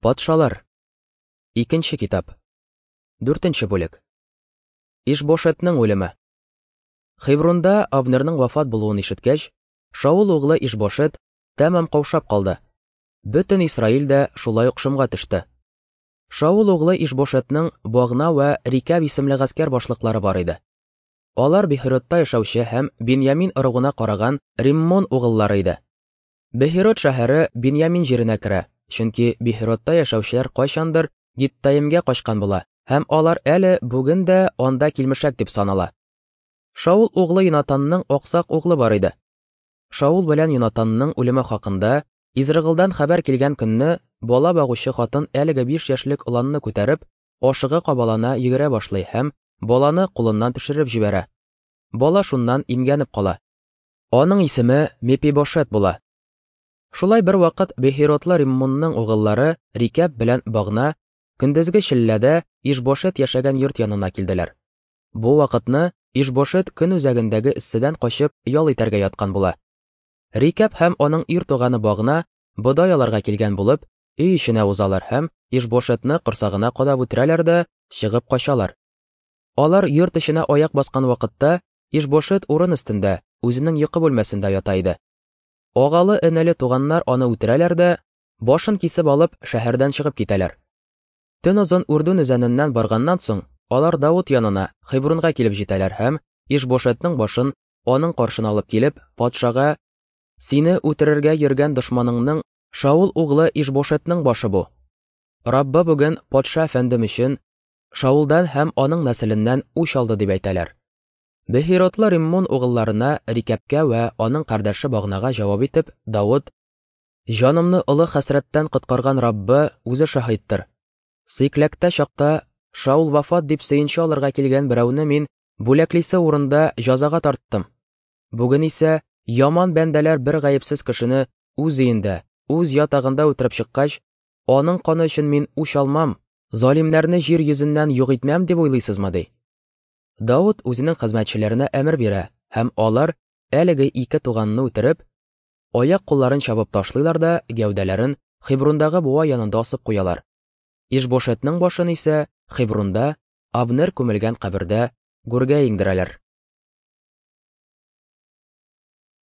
Патшалар. Икенче китап. Дүртенче бүлек. Ишбошетның үлеме. Хебрунда Абнерның вафат булуын ишеткәч, Шаул углы Ишбошет тәмам каушап калды. Бөтен Исраил дә шулай ук шомга төште. Шаул углы Ишбошетның Багна вә Рикәб исемле гаскәр башлыклары бар иде. Алар Бехеротта яшәүче һәм Беньямин ыругына караган Риммон угыллары иде. Бехерот шәһәре Беньямин җиренә керә, чөнки Бехеротта яшәүчеләр кайчандыр Гиттаимгә качкан була һәм алар әле бүген дә анда килмешәк дип санала. Шаул углы Йонатанның аксак углы бар иде. Шаул белән Йонатанның үлеме хакында Изрыгылдан хәбәр килгән көнне бала багучы хатын әлеге 5 яшьлек оланны күтәреп, ашыга-кабалана йөгерә башлый һәм баланы кулыннан төшереп җибәрә. Бала шуннан имгәнеп кала. Аның исеме Мепибошет була. Шулай бервакыт Бехиротлы Риммонның угыллары Рикәб белән Багна көндезге челләдә Ишбошет яшәгән йорт янына килделәр. Бу вакытны Ишбошет көн үзәгендәге эсседән качып ял итәргә яткан була. Рикәб һәм аның ир туганы Багна бодай алырга килгән булып, өй эченә узалар һәм Ишбошетны корсагына кадап үтерәләр дә чыгып качалар. Алар йорт эченә аяк баскан вакытта Ишбошет урын өстендә, үзенең йокы бүлмәсендә ята иде. Агалы-энеле туганнар аны үтерәләр дә, башын кисеп алып, шәһәрдән чыгып китәләр. Төн озын Үрдүн үзәненнән барганнан соң, алар Давыт янына, Хебрунга килеп җитәләр һәм Ишбошетның башын аның каршына алып килеп, патшага: "Сине үтерергә йөргән дошманыңның Шаул углы Ишбошетның башы бу. Раббы бүген патша әфәндем өчен Шаулдан һәм аның нәселеннән үч алды", дип әйтәләр. Бехиротлы Риммон угылларына Рикәпкә вә аның кардәше Багнага җавап итеп, Давыт: "Җанымны олы хәсрәттән коткарган Раббы үзе шаһиттыр. Сыйкләктә чакта Шаул вафат дип сөенче алырга килгән берәүне мин бүләклисе урында җазага тарттым. Бүген исә яман бәндәләр бер гаепсез кешене үз өендә, үз ятагында үтереп чыккач, аның каны өчен мин үч алмам, залимнәрне җир йөзеннән юк итмәм дип уйлыйсызмы?" ди. Давыт үзенең хезмәтчеләренә әмер бирә, һәм алар әлеге ике туганны үтереп, аяк-кулларын чабып ташлыйлар да гәүдәләрен Хебрундагы буа янында асып куялар. Ишбошетның башын исә Хебрунда Абнер күмелгән кабердә гүргә иңдерәләр.